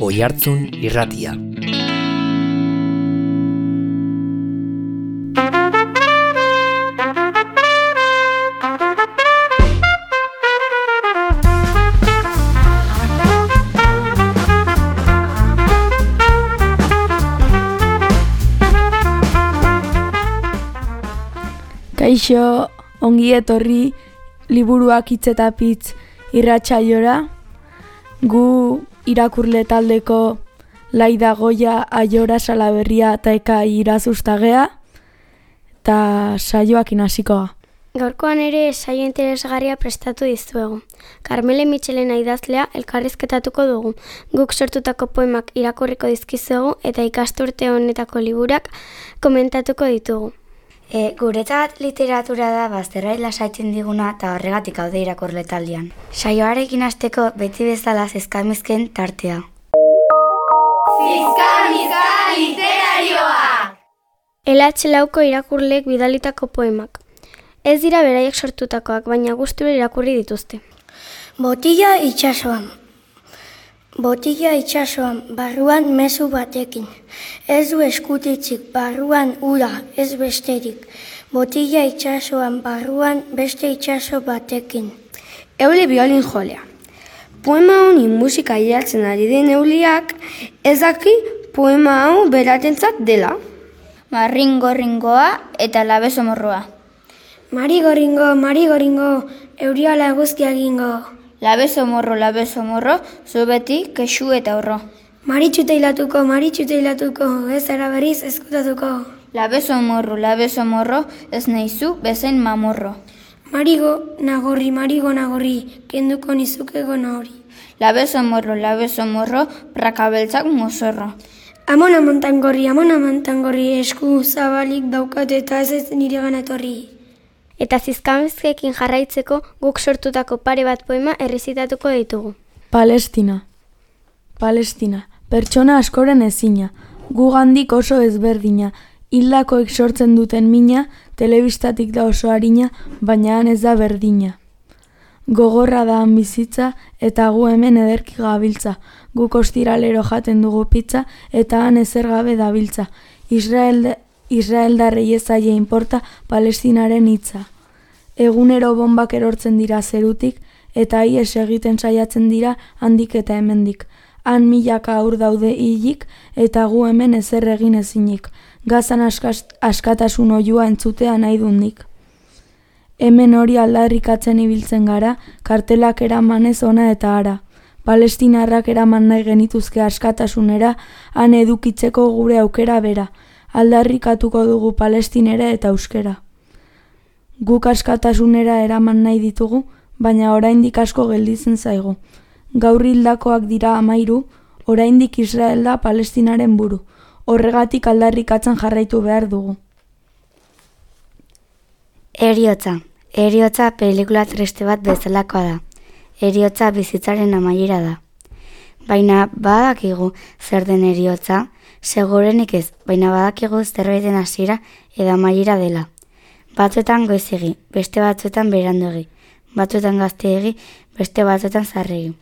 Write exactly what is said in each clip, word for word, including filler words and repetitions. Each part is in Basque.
Oihartzun Irratia. Kaixo, ongi etorri liburuak hitz eta pitz irratsaiora. Gu irakurle taldeko Laida Goia, Aiora Salaberria eta Eka Irazustagea eta saioak hasikoa. Gaurkoan ere saio interesgarria prestatu dizuegu. Karmele Mitxelena idazlea elkarrizketatuko dugu. Guk sortutako poemak irakurriko dizkizuegu eta ikasturte honetako liburak komentatuko ditugu. E, guretzat literatura da bazterrai lasaitzen diguna eta horregatik haude irakurle taldean. Saioarekin hasteko beti bezala zizkamizken tartea. Zizkamizka literarioa! L H lauko irakurleek bidalitako poemak. Ez dira beraiek sortutakoak, baina gustura irakurri dituzte. Botila itsasoan. Botila itsasoan, barruan mezu batekin. Ez du eskutitzik, barruan ura, ez besterik. Botila itsasoan, barruan beste itsaso batekin. Euli biolin jolea. Poema honi musika idazten ari den Euliak ez daki poema hau beratentzat dela. Marringo-ringoa eta labezomorroa. Marigo-ringo, marigo-ringo, euriala eguzkia egingo. Labezomorro, labezomorro, zu beti kexu eta horro. Maritxute hilatuko, maritxute hilatuko, ez ara berriz eskutatuko. Labezomorro, labezomorro, ez nahizu bezain mamorro. Marigo, nagorri, marigo, nagorri, kenduko nizukego nahori. Labezomorro, labezomorro, prakabeltzak mozorro. Amona montangorri, amona montangorri, esku zabalik daukat eta ez ez nire gana etorri. Eta zizkamizkekin jarraitzeko guk sortutako pare bat poema errezitatuko ditugu. Palestina. Palestina. Pertsona askoren ezina. Gugandik oso ezberdina. Hildakoek sortzen duten mina, telebistatik da oso harina, baina han ez da berdina. Gogorra da han bizitza eta gu hemen ederki gabiltza. Guk ostiralero jaten dugu pizza eta han ezer gabe dabiltza. Israel Israeldarrei ez zaie inporta Palestinaren hitza. Egunero bombak erortzen dira zerutik eta ihes egiten saiatzen dira handik eta hemendik. Han milaka haur daude hilik eta gu hemen ezer egin ezinik. Gazan askas, askatasun oiua entzutea nahi dundik. Hemen hori aldarrikatzen ibiltzen gara, kartelak eramanez ona eta ara. Palestinarrak eraman nahi genituzke askatasunera, han edukitzeko gure aukera bera. Aldarrikatuko dugu palestinera eta euskera. Guk askatasunera eraman nahi ditugu, baina oraindik asko gelditzen zaigu. Gaur hildakoak dira hamairu, oraindik Israel da Palestinaren buru. Horregatik aldarrikatzen jarraitu behar dugu. Heriotza. Heriotza pelikula triste bat bezalakoa da. Heriotza bizitzaren amaiera da. Baina badakigu zer den heriotza, segurenik ez, baina badakigu zerbaiten hasiera edo amaiera dela. Batzuetan goizegi, beste batzuetan beranduegi, batzuetan gazteegi, beste batzuetan zarregi.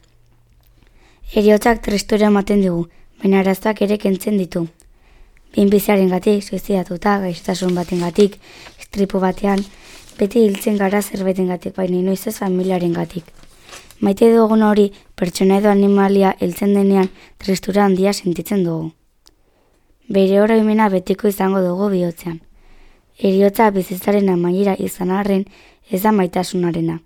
Heriotzak tristura ematen digu, baina arazoak ere kentzen ditu. Binbiziaren gatik, suizidatuta, gaixotasun baten gatik, istripu batean, beti hiltzen gara zerbaiten gatik, baina inoiz ez familiaren gatik. Maite dugun hori, pertsona edo animalia hiltzen denean tristura handia sentitzen dugu. Bere oroimena betiko izango dugu bihotzean. Heriotza bizitzaren amaiera izan arren ez da maitasunarena.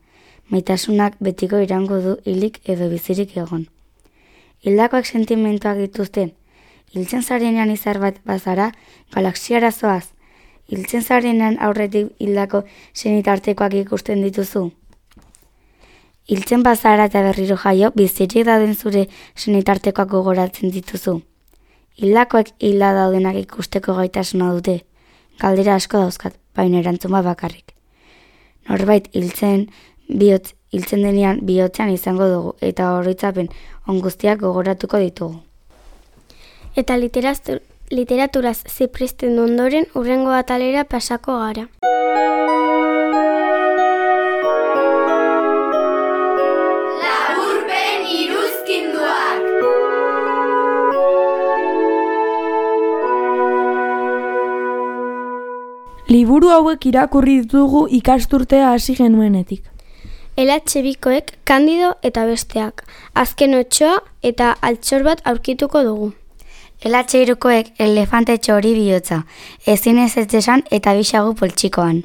Maitasunak betiko irango du hilik edo bizirik egon. Hildakoak sentimentuak dituzten. Hiltzen zarenean izar bat bazara, galaxiara zoaz. Hiltzen zarenean aurretik hildako senitartekoak ikusten dituzu. Hiltzen bazara eta berriro jaio, bizirik dauden zure senitartekoak gogoratzen dituzu. Hildakoek hilda daudenak ikusteko gaitasuna dute. Galdera asko dauzkat, baina erantzun bat bakarrik. Norbait hiltzen bihotz, hiltzen denean bihotzean izango dugu eta oroitzapen on guztiak gogoratuko ditugu. Eta literatur, literaturaz zipristen ondoren hurrengo atalera pasako gara. Laburpen iruzkinduak. Liburu hauek irakurri ditugu ikasturtea hasi genuenetik. Elatxe bikoek Kandido eta besteak, azken otsoa eta altxor bat aurkituko dugu. Elatxe irukoek elefante txori bihotza, ezin ez ez esan eta bisagu poltsikoan.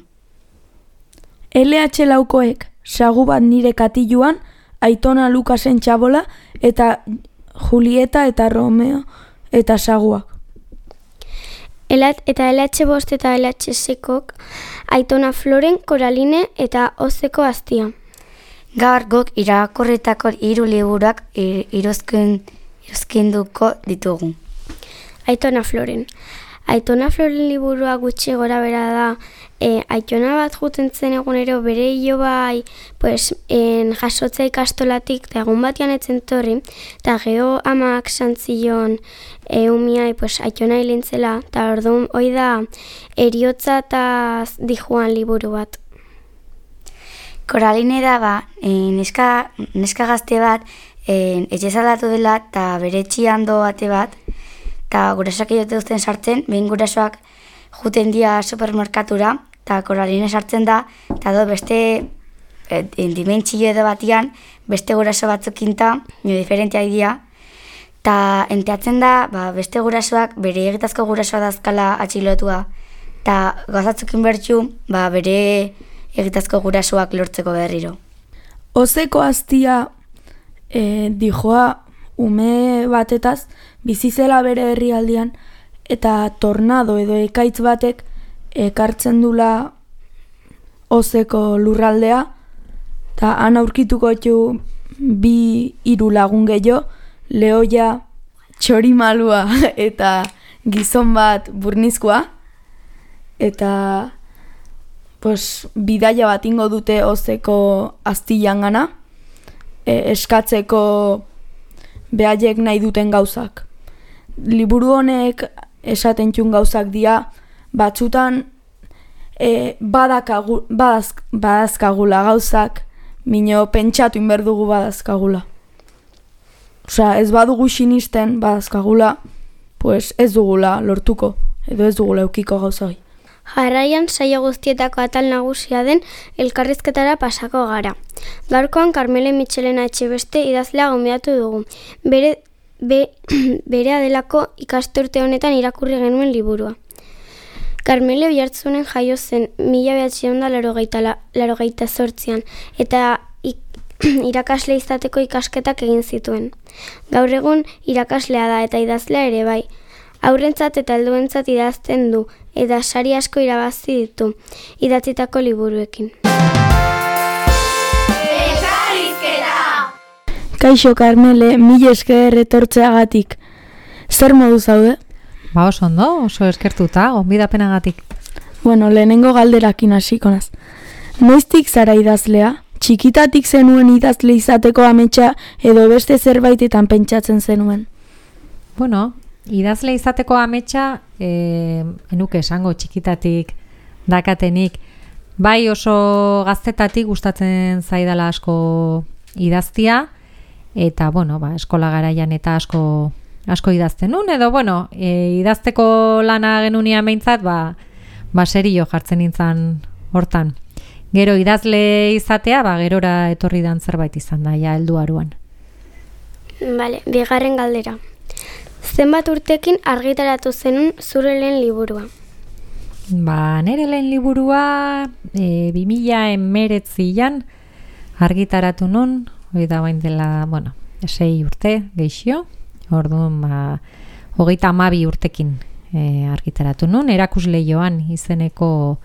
L H laukoek sagu bat nire katiluan, Aitona Lukasen txabola eta Julieta eta Romeo eta saguak. Elat eta L H bost eta L H seikok Aitona Floren, Koraline eta Ozeko Aztia. Gaur guk irakurritako hiru liburuak iruzkin, iruzkinduko ditugu. Aitona Floren. Aitona Floren liburua gutxi gora bera da, e, Aitona bat juten zen egunero bere hilo bai, pues, en, jasotza ikastolatik, eta egun batian etzen torri, eta geho amak santzion e, umiai, pues, Aitona hilintzela, eta orduan hoi da eriotza eta dijuan liburu bat. Koraline da ba, e, neska, neska gazte bat, e, etxezaldatu dela eta bere etxian do bate bat, eta gurasoak edote duzten sartzen, behin gurasoak juten dia supermerkatura, eta Koraline sartzen da, eta do beste e, dimentsio edo batian, beste guraso batzukinta, nio diferenteak dira, eta enteatzen da, ba, beste gurasoak, bere egitazko gurasoa dazkala atxilotua, eta gazatzukin bertxu, ba, bere egitazko gurasoak lortzeko berriro. Ozeko Aztia e, dijoa ume batetaz bizizela bere herrialdean eta tornado edo ekaitz batek ekartzen dula Ozeko lurraldea eta han aurkituko ditu bi hiru lagun gehiago, lehoia, txorimalua eta gizon bat burnizkoa eta pues, bidaia bat ingo dute Ozeko Aztian gana, e, eskatzeko behaiek nahi duten gauzak. Liburu honek esaten txun gauzak dira, batzutan e, badakagu, badazk, badazkagula gauzak, mino pentsatu inberdugu badazkagula. Osea, ez badugu sinisten badazkagula, pues ez dugula lortuko, edo ez dugula eukiko gauzai. Jarraian saio guztietako atal nagusia den elkarrizketara pasako gara. Gaurkoan Karmele Mitxelena Etxebeste idazlea gonbidatu dugu. Bere, be, bere adelako ikasturte honetan irakurri genuen liburua. Karmele Oiartzunen jaio zen mila bederatziehun eta laurogeita zortzian eta ik, irakasle izateko ikasketak egin zituen. Gaur egun irakaslea da eta idazlea ere bai. Aurrentzat eta helduentzat idazten du, eta sari asko irabazi ditu, idatzitako liburuekin. Elkarrizketa! Kaixo Karmele, mila esker etortzeagatik. Zer modu zaude? Ba oso ondo, oso eskertuta, gonbidapenagatik. Bueno, lehenengo galderakin hasiko naz. Noiztik zara idazlea? Txikitatik zenuen idazle izateko ametsa edo beste zerbaitetan pentsatzen zenuen? Bueno, idazle izateko ametsa, e, enuke esango txikitatik dakatenik, bai oso gaztetatik gustatzen zaidala asko idaztia, eta bueno, ba, eskola garaian eta asko asko idazten nun, edo bueno, e, idazteko lana genunia meintzat, ba, ba serio jartzen nintzen hortan. Gero idazle izatea, ba, gerora etorri dan zerbait izan da, ja, heldu aruan. Bale, bigarren galdera. Zenbat urtekin argitaratu zenun zure lehen liburua? Ba, nire lehen liburua e, bi mila hemeretzian argitaratu nun, hori da bain dela, bueno, sei urte geixio, orduan, ba, hogeita hamabi urtekin e, argitaratu nun, erakusleioan izeneko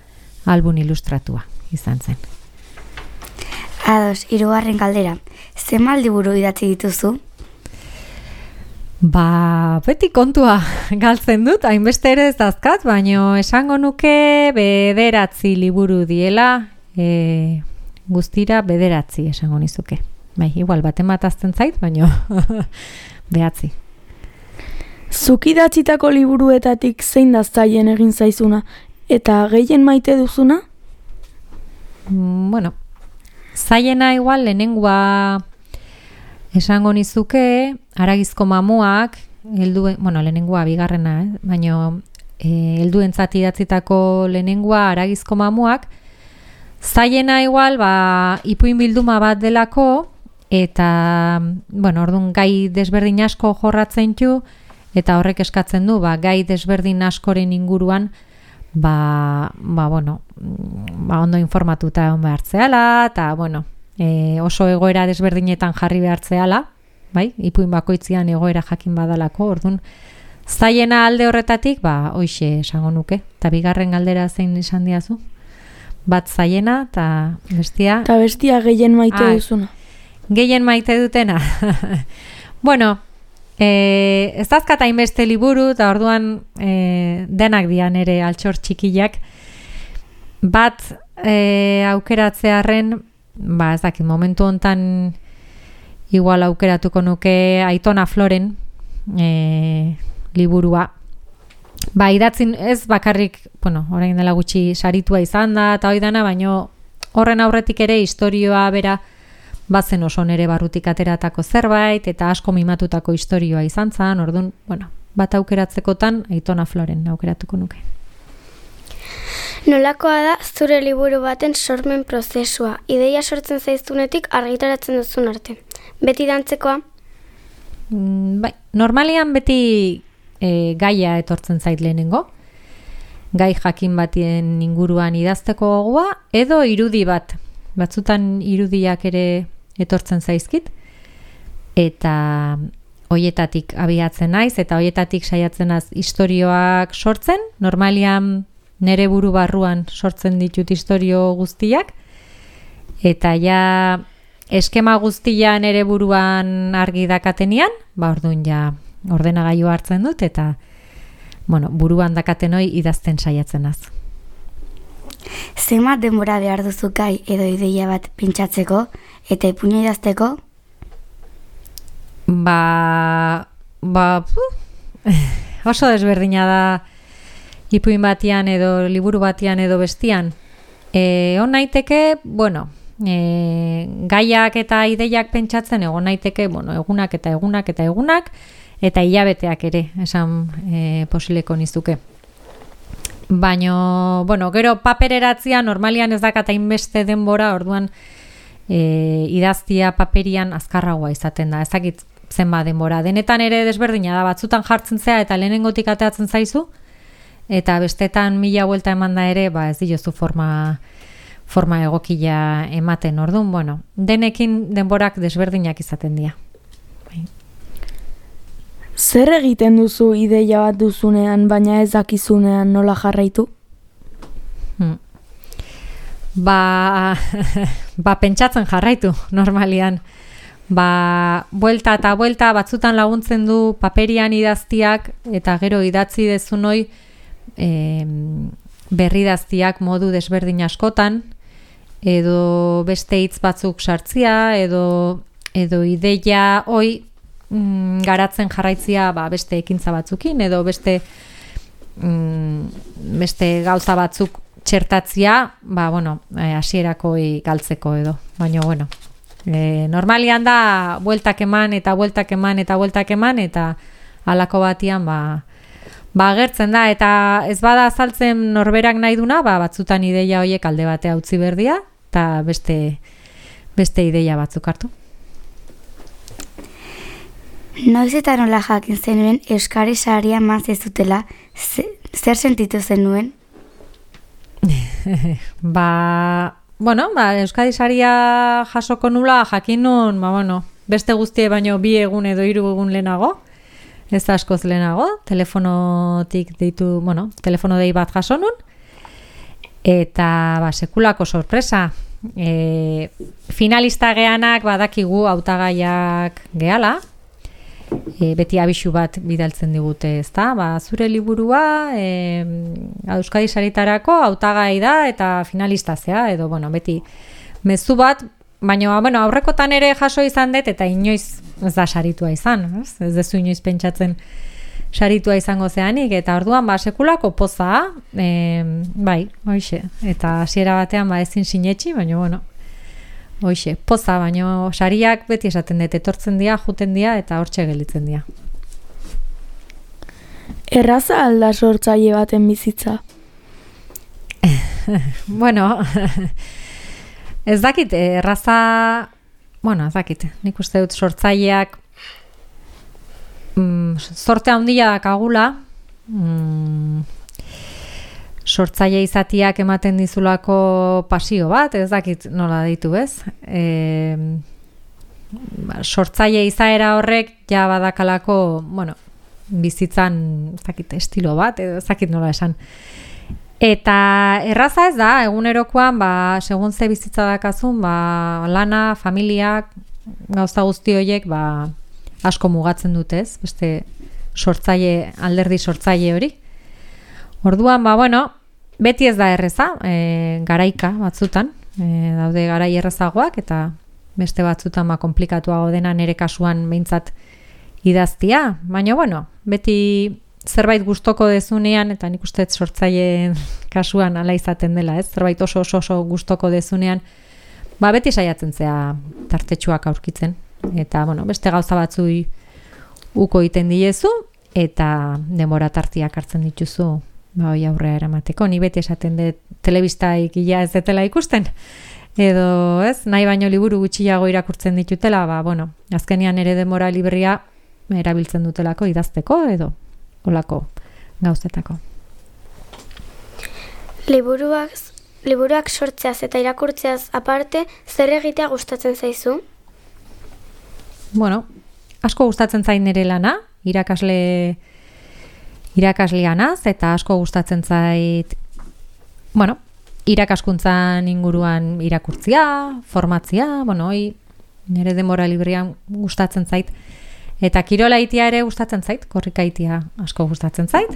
album ilustratua izan zen. Ados, hirugarren galdera, zenbat liburu idatzi dituzu? Ba, beti kontua galtzen dut, hainbeste ere ez dazkat, baino esango nuke bederatzi liburu diela, e, guztira bederatzi esango nizuke. Bai, igual baten bat azten zait, baino behatzi. Zuk idatzitako liburuetatik zein da zaien egin zaizuna, eta gehien maite duzuna? Mm, bueno, zaiena igual lehenengoa esango nizuke, Haragizko mamuak, heldu, bueno, lehenengoa bigarrena, eh? Baino helduentzat idatzitako lehenengoa Haragizko mamuak, zaiena igual, ba, ipuin bilduma bat delako, eta, bueno, orduan gai desberdin asko jorratzen du, eta horrek eskatzen du, ba, gai desberdin askoren inguruan, ba, ba, bueno, ba, ondo informatuta egon behartzeala, eta, bueno, e, oso egoera desberdinetan jarri behartzeala, bai, ipuin bakoitzian egoera jakin badalako, orduan, zaiena alde horretatik, ba, hoixe esango nuke, eta bigarren galdera zein izan diazu? Bat zaiena, eta bestia... Eta bestia gehien maite ah, duzuna. Gehien maite dutena. Bueno, eh, ez dazkat hainbeste liburu, eta orduan eh, denak dian ere altxor txikiak. Bat eh, aukeratzearen, ba ez dakit, momentu hontan igual aukeratuko nuke Aitona Floren eh, liburua. Ba, idatzin ez bakarrik, bueno, orain dela gutxi saritua izan da, eta hoi dana, baino horren aurretik ere istorioa bera bazen oso nere barrutik ateratako zerbait, eta asko mimatutako istorioa izan zan, orduan, bueno, bat aukeratzekotan Aitona Floren aukeratuko nuke. Nolakoa da zure liburu baten sormen prozesua, ideia sortzen zaiztunetik argitaratzen duzun arte? Beti dantzekoa? Mm, bai, normalian beti e, gaia etortzen zait lehenengo, gai jakin batien inguruan idazteko gogoa, edo irudi bat, batzutan irudiak ere etortzen zaizkit, eta hoietatik abiatzen naiz, eta hoietatik saiatzen naiz istorioak sortzen, normalian nere buru barruan sortzen ditut istorio guztiak, eta ja eskema guztia nere buruan argi dakatenian, ba orduan ja ordenagailu hartzen dut, eta bueno, buruan dakaten hoi idazten saiatzen naiz. Zenbat denbora behar duzu gai edo ideia bat pintxatzeko eta ipuina idazteko? Ba, ba, puh, oso desberdina da ipuin batian edo liburu batian edo bestian. E, on naiteke, bueno, e, gaiak eta ideiak pentsatzen egon naiteke, bueno, egunak eta egunak eta egunak, eta hilabeteak ere, esan e, posileko nizuke. Baina, bueno, gero papereratzia normalian ez dakat hainbeste denbora, orduan e, idaztia paperian azkarragoa izaten da, ezakit zenba denbora. Denetan ere desberdina da, batzutan jartzen zea eta lehenengotik ateatzen zaizu, eta bestetan mila buelta eman da ere, ba ez diozu forma, forma egokila ematen, orduan, bueno, denekin denborak desberdinak izaten dira. Zer egiten duzu ideia bat duzunean, baina ez dakizunean nola jarraitu? Hmm. Ba, ba, pentsatzen jarraitu, normalian. Ba, buelta eta buelta batzutan laguntzen du paperian idaztiak, eta gero idatzi dezun hoi e, berridaztiak modu desberdin askotan, edo beste hitz batzuk sartzia, edo, edo ideia hoi mm, garatzen jarraitzia ba, beste ekintza batzukin, edo beste, mm, beste gauza batzuk txertatzia, ba, bueno, hasierako e, galtzeko edo, baina, bueno, e, normalian da bueltak eman eta bueltak eman eta bueltak eman, eta halako batian, ba, ba, agertzen da, eta ez bada azaltzen norberak nahi duna, ba, batzutan ideia horiek alde batea utzi berdia, eta beste, beste ideia batzuk hartu. Noiz eta nola jakin zenuen Euskari Saria eman zezutela, zer sentitu zenuen? ba, bueno, ba, Euskadi Saria jasoko nula jakin nun, ba, bueno, beste guztie baino bi egun edo hiru egun lehenago, ez askoz lehenago, telefonotik deitu, bueno, telefono dei bat jaso nun, eta ba, sekulako sorpresa. E, finalista geanak badakigu hautagaiak gehala, e, beti abisu bat bidaltzen digute, ezta? Ba, zure liburua e, Euskadi Saritarako hautagai da eta finalista zea, edo bueno, beti mezu bat, baina bueno, aurrekotan ere jaso izan dut eta inoiz ez da saritua izan, ez? Ez dezu inoiz pentsatzen saritua izango zeanik, eta orduan ba sekulako poza, e, bai, hoixe, eta hasiera batean ba ezin sinetsi, baina bueno, hoixe, poza, baina sariak beti esaten dut, etortzen dira, juten dira, eta hortxe gelditzen dira. Erraza alda sortzaile baten bizitza? Bueno, ez dakit, erraza, bueno, ez dakit, nik uste dut sortzaileak mm, zorte handia dakagula, mm, sortzaile izatiak ematen dizulako pasio bat, ez dakit nola ditu, ez? E, sortzaile izaera horrek ja badakalako, bueno, bizitzan, ez dakit, estilo bat, ez dakit nola esan. Eta erraza ez da, egunerokoan, ba, segun ze bizitza dakazun, ba, lana, familiak, gauza guzti horiek, ba, asko mugatzen dute, ez? Beste sortzaile, alderdi sortzaile hori. Orduan, ba, bueno, beti ez da erreza, e, garaika batzutan, e, daude garai errezagoak, eta beste batzutan ba, komplikatuago dena nire kasuan behintzat idaztia. Baina, bueno, beti zerbait gustoko dezunean, eta nik uste sortzaileen kasuan ala izaten dela, ez? Zerbait oso oso oso gustoko dezunean, ba beti saiatzen zea tartetxuak aurkitzen. Eta, bueno, beste gauza batzui uko egiten diezu, eta denbora tartiak hartzen dituzu, ba hoi aurrera eramateko. Ni beti esaten dut telebistaik ia ez detela ikusten, edo, ez, nahi baino liburu gutxiago irakurtzen ditutela, ba, bueno, azkenean ere denbora librea erabiltzen dutelako idazteko, edo olako gauzetako. Liburuak, liburuak sortzeaz eta irakurtzeaz aparte, zer egitea gustatzen zaizu? Bueno, asko gustatzen zain nire lana, irakasle irakasleanaz, eta asko gustatzen zait, bueno, irakaskuntzan inguruan irakurtzia, formatzia, bueno, hoi nire denbora librean gustatzen zait. Eta kirolaitia ere gustatzen zait, korrikaitia asko gustatzen zait.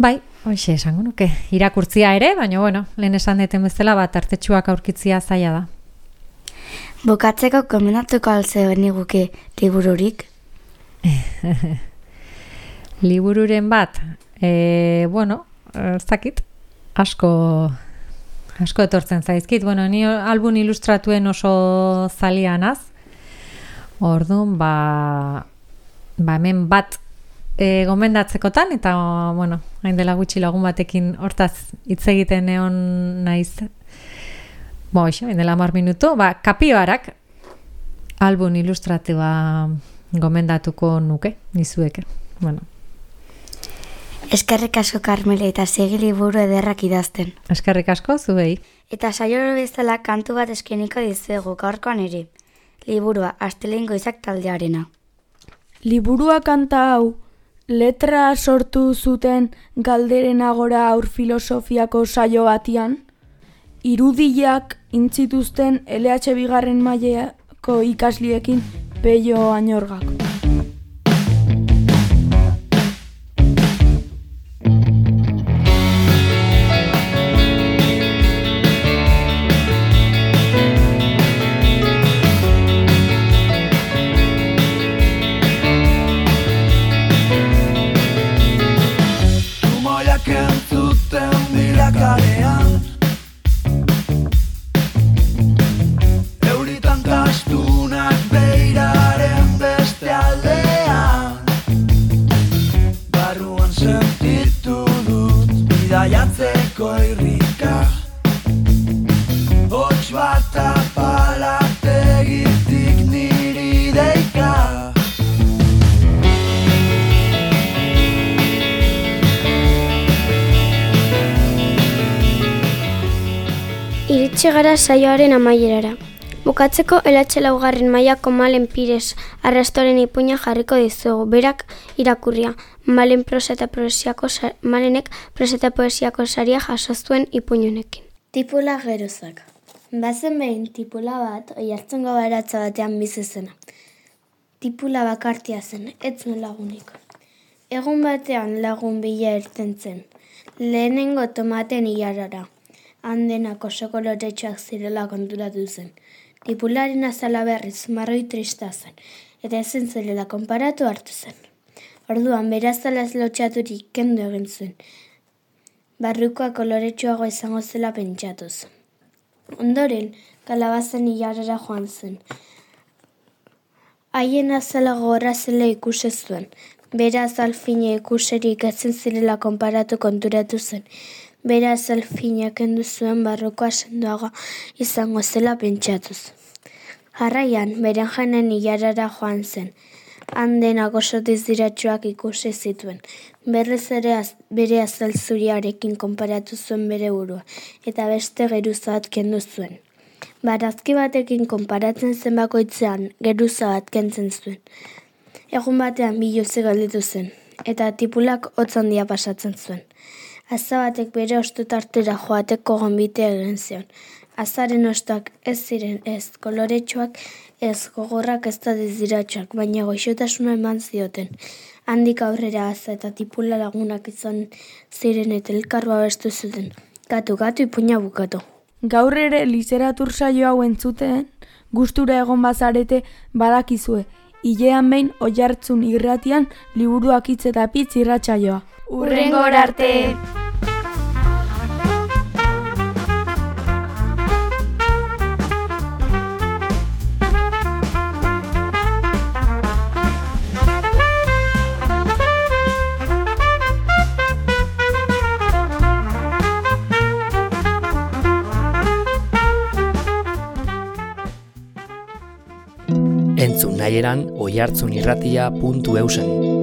Bai, hoxe esango nuke, irakurtzia ere, baina bueno, lehen esan deten bezala bat artetxuak aurkitzia zaila da. Bukatzeko gomendatuko alze beniguke libururik? Libururen bat, e, bueno, ez dakit, asko, asko etortzen zaizkit. Bueno, ni album ilustratuen oso zalianaz, orduan, ba, ba hemen bat e, gomendatzekotan, eta, bueno, hain dela gutxi lagun batekin hortaz hitz egiten egon naiz, bo, iso, hain dela hamar minutu, ba, Kapioarak album ilustratiba gomendatuko nuke, nizueke, bueno. Eskerrik asko, Karmele, eta segi liburu ederrak idazten. Eskerrik asko, zuei. Eta saioro bezala kantu bat eskeniko dizuegu gaurkoan ere. Liburua, Astelehen Goizak taldearena. Liburua kanta hau, letra sortu zuten Galderen Agora aur filosofiako saio batian, irudiak intzituzten L H bigarren mailako ikasliekin Pello Añorgak. Euritan kastunak beiraren beste aldean, barruan sentitu dut bidaiatzeko irrika, hots bat apalategitik niri deika. Iritsi gara saioaren amaierara. Bukatzeko L H laugarren mailako Malen Pires arrastoren ipuina jarriko dizugu, berak irakurria. Malen prosa eta poesiako Malenek prosa eta poesiako saria jaso zuen ipuinunekin. Tipula gerozak. Bazen behin tipula bat oihartzungo baratza batean bizi zena. Tipula bakartia zen, ez zuen lagunik. Egun batean lagun bila irten zen. Lehenengo tomaten ilarara. Handenak oso koloretsuak zirela konturatu zen. Tipularen azala berriz marroi trista zen, eta ezen zirela konparatu hartu zen. Orduan, berazalaz lotxaturik kendu egin zuen. Barrukoa koloretsuago izango zela pentsatuz. Ondoren, kalabazen ilarara joan zen. Haien azala gogorra zela ikusi zuen. Bera azalfine ikuserik ezen zirela konparatu konturatu zen. Bera azalfinak kendu zuen barrokoa sendoaga izango zela pentsatuz. Jarraian, beren janen ilarara joan zen. Han denak oso diziratsuak ikusi zituen. Berrez ere az, bere azal zuriarekin konparatu zuen bere burua, eta beste geruza bat kendu zuen. Barazki batekin konparatzen zen bakoitzean, geruza bat kentzen zuen. Egun batean biluze galditu zen, eta tipulak hotz handia pasatzen zuen. Aza batek bere ostutartera joateko gonbitea egin zion. Azaren ostak ez ziren ez koloretsuak, ez gogorrak ez da diziratsuak, baina goxotasuna eman zioten. Handik aurrera aza eta tipula lagunak izan ziren eta elkarroa bestu zuten. Gatu, gatu, ipuina bukatu. Gaur ere literatur saio hau entzuten, gustura egon bazarete badakizue. Hilean behin Oiartzun irratian liburuak hitz eta pitz irratsaioa. Hurrengor arte! Entzun nahieran oihartzunirratia puntu eusen.